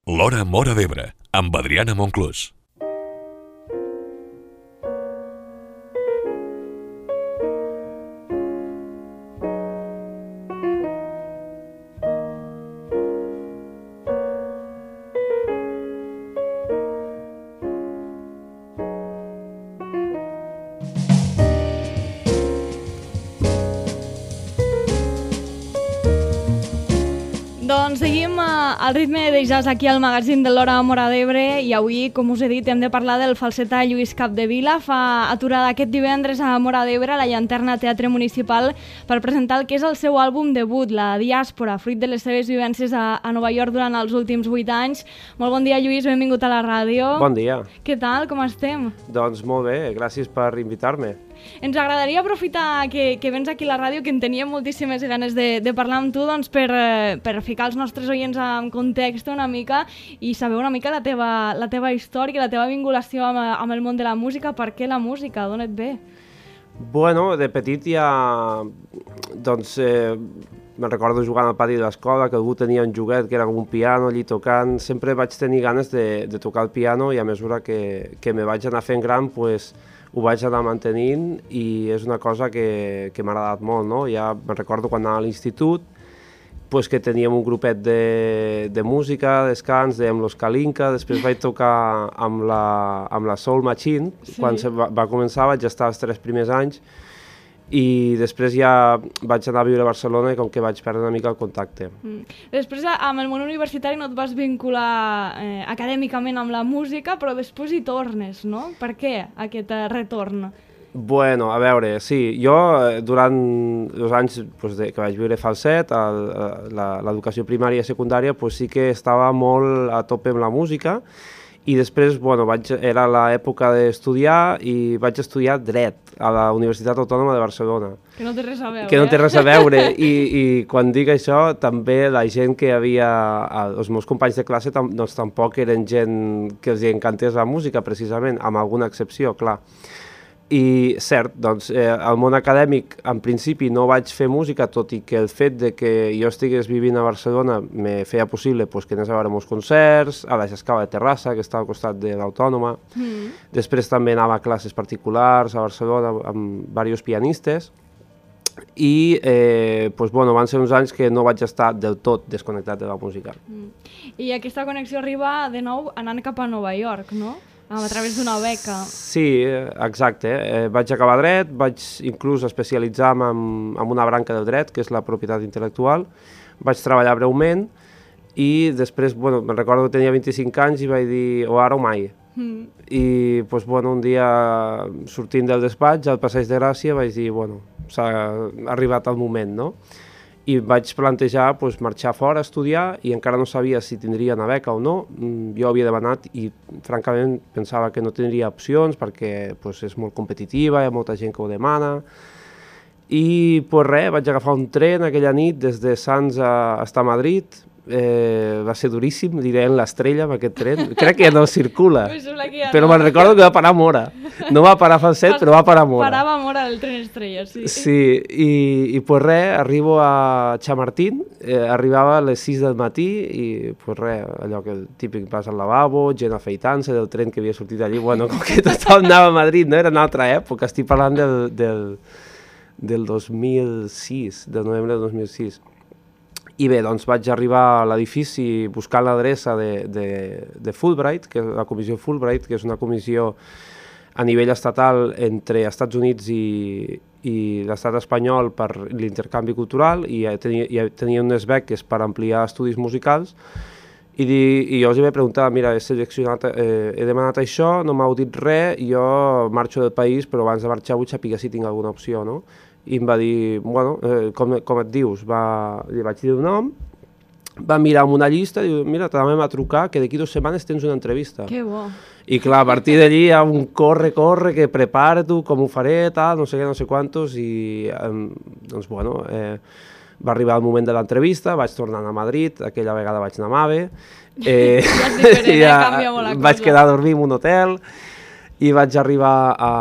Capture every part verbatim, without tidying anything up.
L'Hora Móra d'Ebre, amb Adriana Monclús. Doncs seguim al ritme de jazz aquí al magazín de l'Hora Móra d'Ebre i avui, com us he dit, hem de parlar del falsetà Lluís Capdevila. Fa aturada aquest divendres a Móra d'Ebre, a la Llanterna Teatre Municipal, per presentar el que és el seu àlbum debut, La Diàspora, fruit de les seves vivències a, a Nova York durant els últims vuit anys. Molt bon dia, Lluís, benvingut a la ràdio. Bon dia. Què tal, com estem? Doncs molt bé, gràcies per invitar-me. Ens agradaria aprofitar que, que vens aquí a la ràdio, que en teníem moltíssimes ganes de, de parlar amb tu, doncs per, per ficar els nostres oients en context una mica i saber una mica la teva, la teva història, la teva vinculació amb, amb el món de la música. Per què la música? D'on et ve? Bueno, de petit ja... Doncs... Eh, me'n recordo jugant al pati de l'escola, que algú tenia un joguet que era com un piano allí tocant. Sempre vaig tenir ganes de, de tocar el piano i a mesura que, que me vaig anar fent gran, pues, ho vaig anar mantenint i és una cosa que, que m'ha agradat molt, no? Ja me'n recordo quan anava a l'institut, pues, que teníem un grupet de, de música, descans, dèiem Los Kalinka, després vaig tocar amb la, amb la Soul Machine, sí. Quan se va, va començar vaig estar els tres primers anys, i després ja vaig anar a viure a Barcelona i com que vaig perdre una mica el contacte. Mm. Després amb el món universitari no et vas vincular eh, acadèmicament amb la música, però després hi tornes, no? Per què aquest eh, retorn? Bueno, a veure, sí, jo durant els anys pues, de, que vaig viure falset, l'educació primària i secundària, pues, sí que estava molt a tope amb la música. I després, bueno, vaig, era l'època d'estudiar i vaig estudiar dret a la Universitat Autònoma de Barcelona. Que no té res a veure. Que no té res a veure. I, i quan dic això, també la gent que havia... Els meus companys de classe tam, doncs, tampoc eren gent que els encantés la música, precisament, amb alguna excepció, clar. I cert, doncs, eh, al món acadèmic en principi no vaig fer música, tot i que el fet de que jo estigués vivint a Barcelona me feia possible pues, que anés a veure molts concerts, a la Jascava de Terrassa, que està al costat de l'Autònoma. Mm. Després també anava a classes particulars a Barcelona amb diversos pianistes. I eh, pues, bueno, van ser uns anys que no vaig estar del tot desconnectat de la música. Mm. I aquesta connexió arriba de nou anant cap a Nova York, no? A través d'una beca. Sí, exacte. Eh, vaig acabar dret, vaig inclús especialitzar-me en, en una branca del dret, que és la propietat intel·lectual. Vaig treballar breument i després, bueno, me'n recordo que tenia vint-i-cinc anys i vaig dir o ara o mai. Mm. I, pues, bueno, un dia sortint del despatx, al Passeig de Gràcia, vaig dir, bueno, s'ha arribat el moment, no? I vaig plantejar pues, marxar fora a estudiar i encara no sabia si tindria una beca o no. Jo havia demanat i francament pensava que no tindria opcions perquè pues, és molt competitiva, hi ha molta gent que ho demana. I pues, res, vaig agafar un tren aquella nit des de Sants a, a Madrid. Eh, va ser duríssim, diré en l'Estrella amb aquest tren. Crec que ja no circula, ja però no. Me'n recordo que va parar a Móra. No va parar a Falset, però va parar a Móra. Parava a Móra el tren Estrella, sí. Sí, i, i pues res, arribo a Chamartín, eh, arribava a les sis del matí i pues res, allò que el típic vas al lavabo, gent afeitant-se del tren que havia sortit allí, bueno, com que tothom anava a Madrid, no? Era una altra època, estic parlant del, del, del dos mil sis, del novembre del dos mil sis. I bé, doncs vaig arribar a l'edifici buscant l'adreça de, de, de Fulbright, que és la comissió Fulbright, que és una comissió a nivell estatal entre Estats Units i, i l'estat espanyol per l'intercanvi cultural, i tenia, i tenia unes beques per ampliar estudis musicals, i, di, i jo els vaig preguntar, mira, he seleccionat, eh, he demanat això, no m'heu dit res, jo marxo del país, però abans de marxar vull saber si tinc alguna opció, no? I em va dir, bueno, eh, com, com et dius? Va, li vaig dir el nom, va mirar amb una llista i diu, mira, t'anàvem a trucar que d'aquí dues setmanes tens una entrevista. Que bo. I clar, a partir d'allí hi ha un corre, corre, que prepara-t'ho, com ho faré, tal, no sé què, no sé quantos, i eh, doncs, bueno, eh, va arribar el moment de l'entrevista, vaig tornar a Madrid, aquella vegada vaig anar a Mave, eh, ja és diferent, ja, eh? Canvia molt la cosa. Vaig quedar a dormir en un hotel, i vaig arribar a,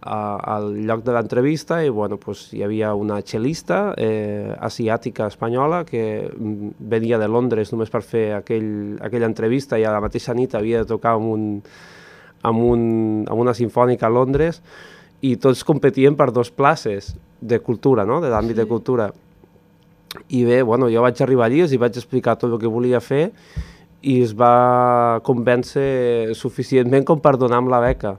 a, al lloc de l'entrevista i bueno, pues, hi havia una cel·lista eh, asiàtica espanyola que venia de Londres només per fer aquell, aquella entrevista i a la mateixa nit havia de tocar amb, un, amb, un, amb una sinfònica a Londres i tots competien per dos places de cultura, no? De l'àmbit sí. de cultura. I bé, bueno, jo vaig arribar allí, els vaig explicar tot el que volia fer i es va convèncer suficientment com per donar-me la beca.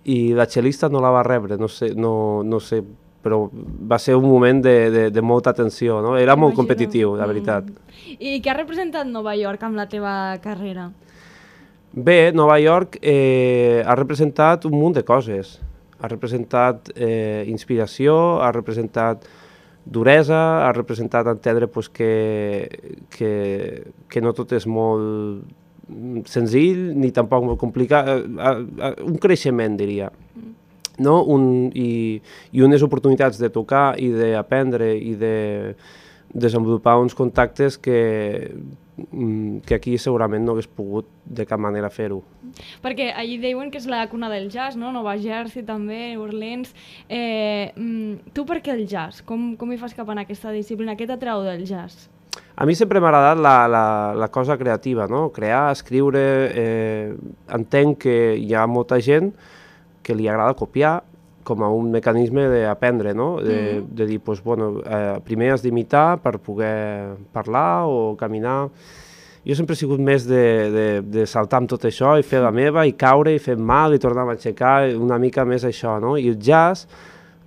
I la cel·lista no la va rebre, no sé, no, no sé, però va ser un moment de, de, de molta tensió, no? Era molt competitiu, la veritat. Mm. I què ha representat Nova York amb la teva carrera? Bé, Nova York eh, ha representat un munt de coses. Ha representat eh, inspiració, ha representat duresa, ha representat entendre pues, que, que, que no tot és molt senzill ni tampoc molt complicat, un creixement diria, no? un, i, i unes oportunitats de tocar i d'aprendre i de desenvolupar uns contactes que, que aquí segurament no hagués pogut de cap manera fer-ho. Perquè allí diuen que és la cuna del jazz, no? Nova Jersey també, Orleans. Eh, tu per què el jazz? Com, com hi fas cap en aquesta disciplina? Què t'atrau del jazz? A mi sempre m'ha agradat la, la, la cosa creativa, no? Crear, escriure... Eh, entenc que hi ha molta gent que li agrada copiar com a un mecanisme d'aprendre, no? De, mm. de dir, pues, bueno, eh, primer has d'imitar per poder parlar o caminar. Jo sempre he sigut més de, de, de saltar amb tot això i fer la meva i caure i fer mal i tornar a aixecar, una mica més això, no? I el jazz,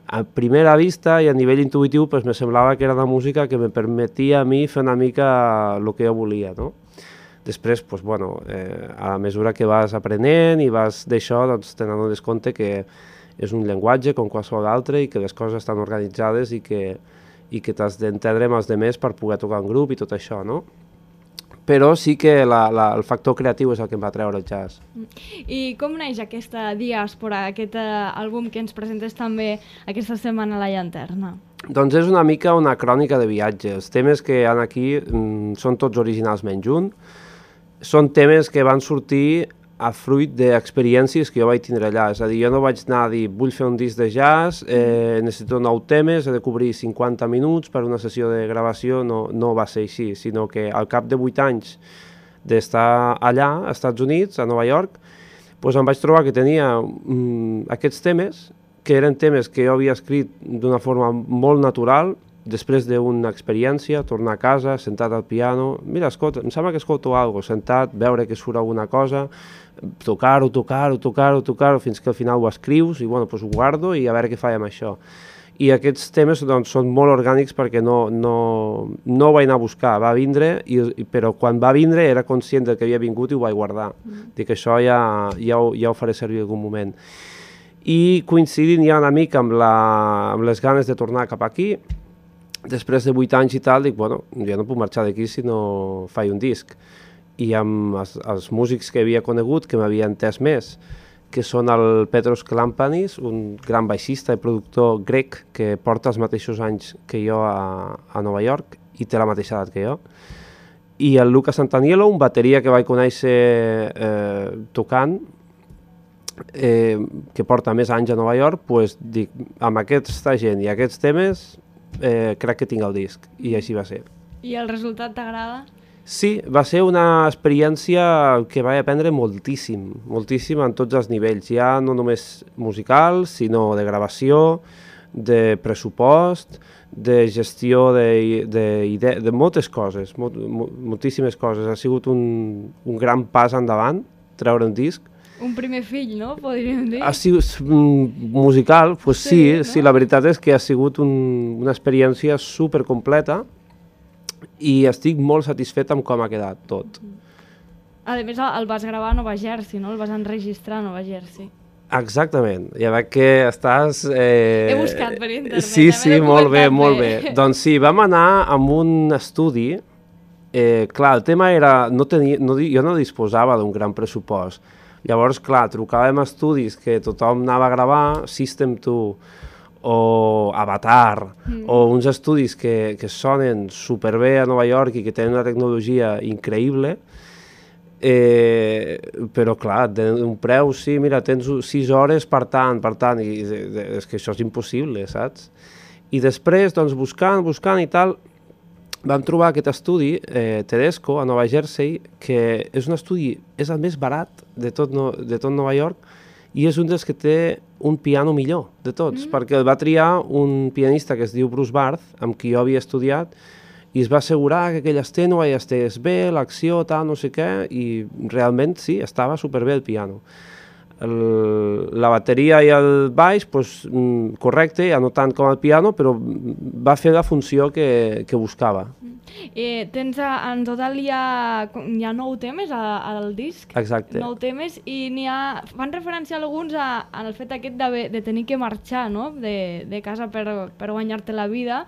a primera vista i a nivell intuïtiu, pues, me semblava que era una música que me permetia a mi fer una mica el que jo volia, no? Després, pues, bueno, eh, a mesura que vas aprenent i vas d'això, doncs te n'adones compte que és un llenguatge com qualsevol altre i que les coses estan organitzades i que, i que t'has d'entendre amb els altres per poder tocar en grup i tot això, no? Però sí que la, la, el factor creatiu és el que em va treure el jazz. I com neix aquesta diàspora, aquest uh, àlbum que ens presentes també aquesta setmana a la Llanterna? Doncs és una mica una crònica de viatge. Els temes que hi ha aquí mm, són tots originals menys un. Són temes que van sortir a fruit d'experiències que jo vaig tindre allà. És a dir, jo no vaig anar a dir vull fer un disc de jazz, eh, necessito nou temes, he de cobrir cinquanta minuts per una sessió de gravació, no, no va ser així, sinó que al cap de vuit anys d'estar allà, als Estats Units, a Nova York, doncs em vaig trobar que tenia mm, aquests temes, que eren temes que jo havia escrit d'una forma molt natural, després d'una experiència, tornar a casa, sentat al piano, mira, escolta, em sembla que escolto alguna cosa, sentat, veure que surt alguna cosa, tocar-ho, tocar-ho, tocar-ho, tocar-ho, fins que al final ho escrius i bueno, doncs ho guardo i a veure què faig amb això. I aquests temes doncs, són molt orgànics perquè no, no, no ho vaig anar a buscar, va vindre, i, però quan va vindre era conscient del que havia vingut i ho vaig guardar. Mm. Dic que això ja, ja, ho, ja ho faré servir en algun moment. I coincidint ja una mica amb, la, amb les ganes de tornar cap aquí, després de vuit anys i tal, dic, bueno, jo no puc marxar d'aquí si no faig un disc. I amb els, els músics que havia conegut, que m'havien entès més, que són el Petros Klampanis, un gran baixista i productor grec que porta els mateixos anys que jo a, a Nova York i té la mateixa edat que jo. I el Luca Santaniello, un bateria que vaig conèixer eh, tocant, eh, que porta més anys a Nova York, pues, dic, amb aquesta gent i aquests temes, Eh, crec que tinc el disc, i així va ser. I el resultat t'agrada? Sí, va ser una experiència que vaig aprendre moltíssim, moltíssim en tots els nivells, ja no només musical, sinó de gravació, de pressupost, de gestió de, de, de, de moltes coses, molt, moltíssimes coses. Ha sigut un, un gran pas endavant, treure un disc. Un primer fill, no? Podríem dir. Ha sigut musical, pues sí, sí, no? Sí, la veritat és que ha sigut un, una experiència supercompleta i estic molt satisfet amb com ha quedat tot. A més, el vas gravar a Nova Jersey, no? El vas enregistrar a Nova Jersey. Exactament, ja veig que estàs... Eh... He buscat per internet. Sí, sí, molt bé, molt bé. Doncs sí, vam anar amb un estudi. Eh, clar, el tema era... No tenia, no, jo no disposava d'un gran pressupost. Llavors, clar, trucàvem a estudis que tothom anava a gravar, System dos o Avatar, mm. o uns estudis que, que sonen superbé a Nova York i que tenen una tecnologia increïble, eh, però clar, un preu, sí, mira, tens sis hores per tant, per tant, i és que això és impossible, saps? I després, doncs, buscant, buscant i tal, vam trobar aquest estudi, eh, Tedesco, a Nova Jersey, que és un estudi, és el més barat de tot, no, de tot Nova York, i és un dels que té un piano millor de tots, mm. perquè el va triar un pianista que es diu Bruce Barth, amb qui jo havia estudiat, i es va assegurar que aquell estènua ja estigués bé, l'acció, tal, no sé què, i realment sí, estava superbé el piano. El, la bateria i el baix, pues, correcte, ja no tant com el piano, però va fer la funció que, que buscava. Eh, tens a, en total hi ha, hi ha nou temes a, al disc. Exacte. Nou temes, i n'hi ha, fan referència alguns a, al fet aquest de, de tenir que marxar, no?, de, de casa per, per guanyar-te la vida.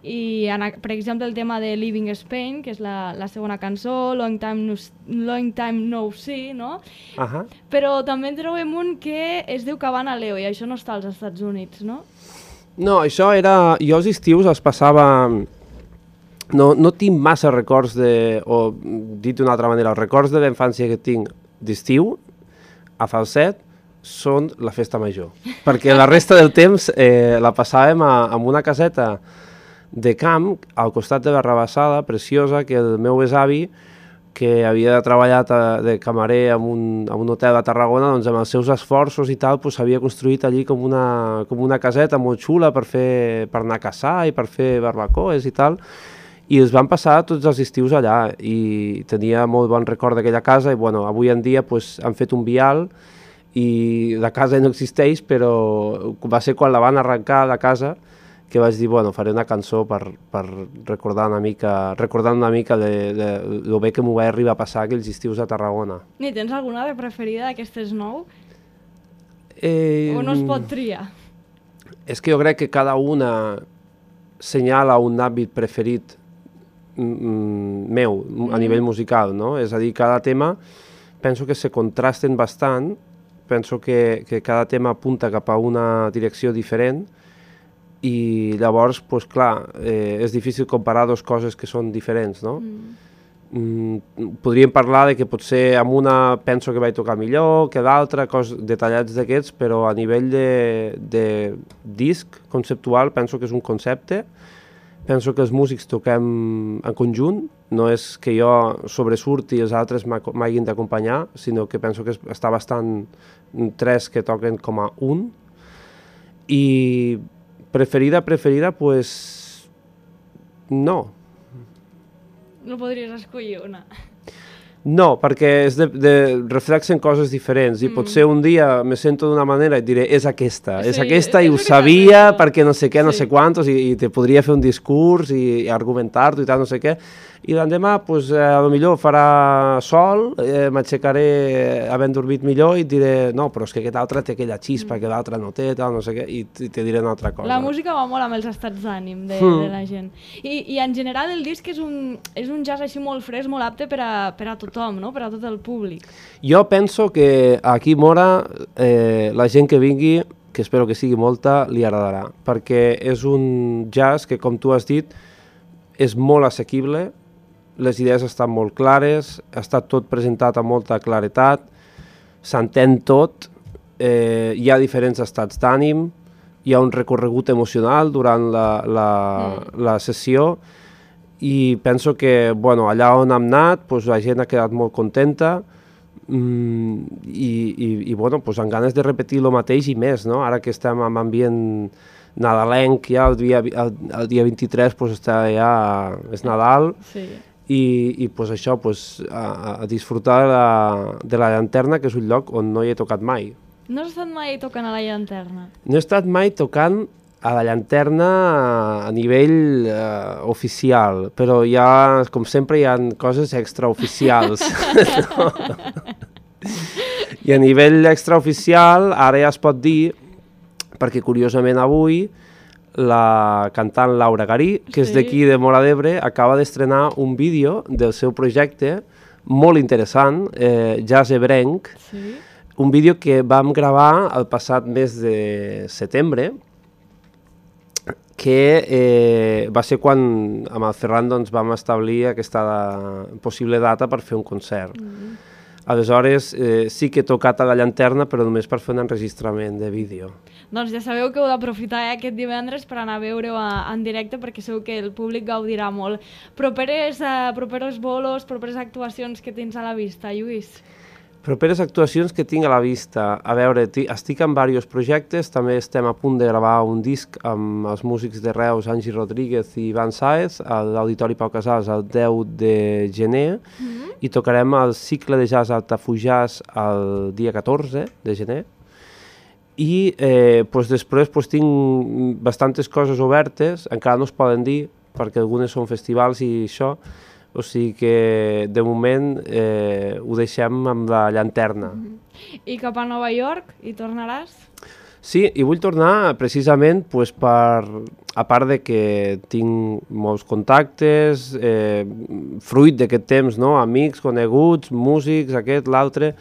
I, en, per exemple, el tema de Living Spain, que és la, la segona cançó, Long Time No, Long Time No See, no? Uh -huh. Però també en trobem un que es diu Cabana Leo, i això no està als Estats Units, no? No, això era... Jo els estius els passava... No, no tinc massa records de... O, dit d'una altra manera, els records de la infància que tinc d'estiu, a Falset, són la festa major. Perquè la resta del temps eh, la passàvem a, a una caseta de camp, al costat de la Rabassada, preciosa, que el meu besavi, que havia treballat a, de camarer en un, en un hotel a Tarragona, doncs amb els seus esforços i tal, pues, havia construït allí com una, com una caseta molt xula per, fer, per anar a caçar i per fer barbacoes i tal, i els van passar tots els estius allà, i tenia molt bon record d'aquella casa, i bueno, avui en dia pues, han fet un vial, i la casa no existeix, però va ser quan la van arrencar de casa, que vaig dir, bueno, faré una cançó per, per recordar una mica, recordant una mica de, de, de lo bé que m'ho va arribar a passar aquells estius a Tarragona. Ni tens alguna de preferida d'aquestes nou? Eh, o no es pot triar? És que jo crec que cada una senyala un àmbit preferit mm, meu, mm. a nivell musical, no? És a dir, cada tema penso que se contrasten bastant, penso que, que cada tema apunta cap a una direcció diferent, i llavors, pues, clar, eh, és difícil comparar dues coses que són diferents, no? Mm. Mm, podríem parlar de que potser amb una penso que vaig tocar millor que l'altra, cos detallats d'aquests, però a nivell de, de disc conceptual penso que és un concepte, penso que els músics toquem en conjunt, no és que jo sobresurti i els altres m'hagin d'acompanyar, sinó que penso que està bastant tres que toquen com a un, i preferida, preferida, pues no. No podries escollir una. No, perquè és de, de, reflexen coses diferents, i mm. potser un dia me sento d'una manera i diré, és aquesta, sí, és aquesta, és i ho sabia perquè no sé què, no sí. sé quantos, i, i te podria fer un discurs i, i argumentar-t'ho i tal, no sé què, i l'endemà, pues, eh, a lo millor farà sol, eh, m'aixecaré havent dormit millor i et diré, no, però és que aquest altre té aquella xispa, mm. que l'altre no té, tal, no sé què, i, i te diré una altra cosa. La música va molt amb els estats d'ànim de, mm. de la gent. I, I en general el disc és un, és un jazz així molt fresc, molt apte per a, per a tothom, no? Per a tot el públic. Jo penso que aquí Mora, eh, la gent que vingui, que espero que sigui molta, li agradarà, perquè és un jazz que, com tu has dit, és molt assequible, les idees estan molt clares, ha estat tot presentat amb molta claretat, s'entén tot, eh, hi ha diferents estats d'ànim, hi ha un recorregut emocional durant la, la, mm. la sessió, i penso que, bueno, allà on hem anat, pues, la gent ha quedat molt contenta, mm, i, i, i bueno, pues, amb ganes de repetir el mateix i més, no? Ara que estem en ambient nadalenc, ja el dia, el, el dia vint-i-tres pues, està ja, és Nadal, sí. i, i pues, això, pues, a, a disfrutar de la, de la Llanterna, que és un lloc on no hi he tocat mai. No has estat mai tocant a la Llanterna? No he estat mai tocant a la Llanterna a nivell eh, oficial, però hi ha, com sempre, hi ha coses extraoficials. No? I a nivell extraoficial, ara ja es pot dir, perquè curiosament avui la cantant Laura Garí, que sí. és d'aquí de Móra d'Ebre, acaba d'estrenar un vídeo del seu projecte molt interessant, eh, Jazz Ebrenc, sí. un vídeo que vam gravar el passat mes de setembre, que eh, va ser quan amb el Ferran doncs, vam establir aquesta possible data per fer un concert. Mm. Aleshores, eh, sí que he tocat a la llanterna, però només per fer un enregistrament de vídeo. Doncs ja sabeu que heu d'aprofitar eh, aquest divendres per anar a veure-ho en directe, perquè segur que el públic gaudirà molt. Properes, eh, properos bolos, properes actuacions que tens a la vista, Lluís? Properes actuacions que tinc a la vista. A veure, estic en diversos projectes, també estem a punt de gravar un disc amb els músics de Reus, Angie Rodríguez i Ivan Sáez, a l'Auditori Pau Casals el deu de gener, mm-hmm. i tocarem el cicle de jazz Altafujàs el dia catorze de gener. I eh, pues després pues, tinc bastantes coses obertes, encara no es poden dir, perquè algunes són festivals i això, o sigui que de moment eh, ho deixem amb la llanterna. Mm-hmm. I cap a Nova York hi tornaràs? Sí, i vull tornar precisament pues, per, a part de que tinc molts contactes, eh, fruit d'aquest temps, no? Amics, coneguts, músics, aquest, l'altre,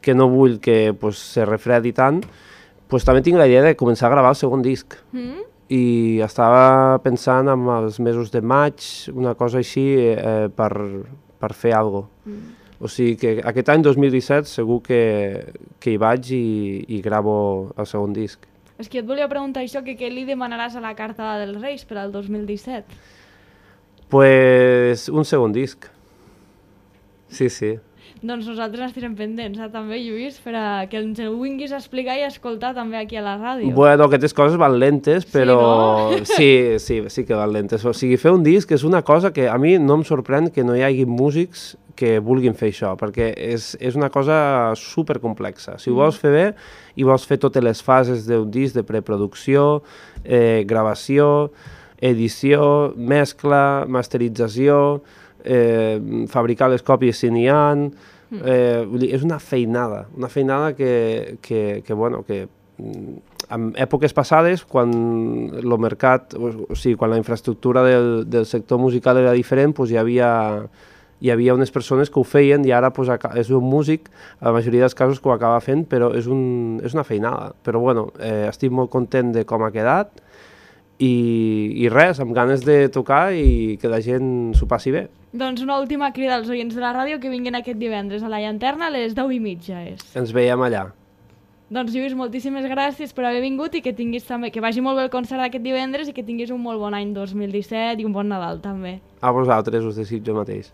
que no vull que pues, se refredi tant, pues, també tinc la idea de començar a gravar el segon disc. Mm-hmm. I estava pensant en els mesos de maig, una cosa així, eh, per, per fer alguna cosa. Mm. O sigui que aquest any dos mil disset segur que, que hi vaig i, i gravo el segon disc. És que et volia preguntar això, que què li demanaràs a la carta dels Reis per al dos mil disset? Pues un segon disc. Sí, sí. Doncs nosaltres estarem pendents, eh, també, Lluís, per a que ens ho vinguis a explicar i a escoltar també aquí a la ràdio. Bueno, aquestes coses van lentes, però sí, no? sí, sí, sí que van lentes. O sigui, fer un disc és una cosa que a mi no em sorprèn que no hi hagi músics que vulguin fer això, perquè és, és una cosa supercomplexa. Si ho vols fer bé i vols fer totes les fases d'un disc de preproducció, eh, gravació, edició, mescla, masterització, eh, fabricar les còpies si n'hi ha, eh, vull dir, és una feinada, una feinada que, que, que, bueno, que en èpoques passades, quan el mercat, o, o sigui, quan la infraestructura del, del sector musical era diferent, pues hi havia hi havia unes persones que ho feien i ara pues, és un músic, a la majoria dels casos que ho acaba fent, però és, un, és una feinada. Però bueno, eh, estic molt content de com ha quedat i, i res, amb ganes de tocar i que la gent s'ho passi bé. Doncs una última crida als oients de la ràdio que vinguin aquest divendres a la llanterna a les deu i mitja. És. Ens veiem allà. Doncs Lluís, moltíssimes gràcies per haver vingut i que tinguis també, que vagi molt bé el concert d'aquest divendres i que tinguis un molt bon any dos mil disset i un bon Nadal també. A vosaltres us desitjo mateix.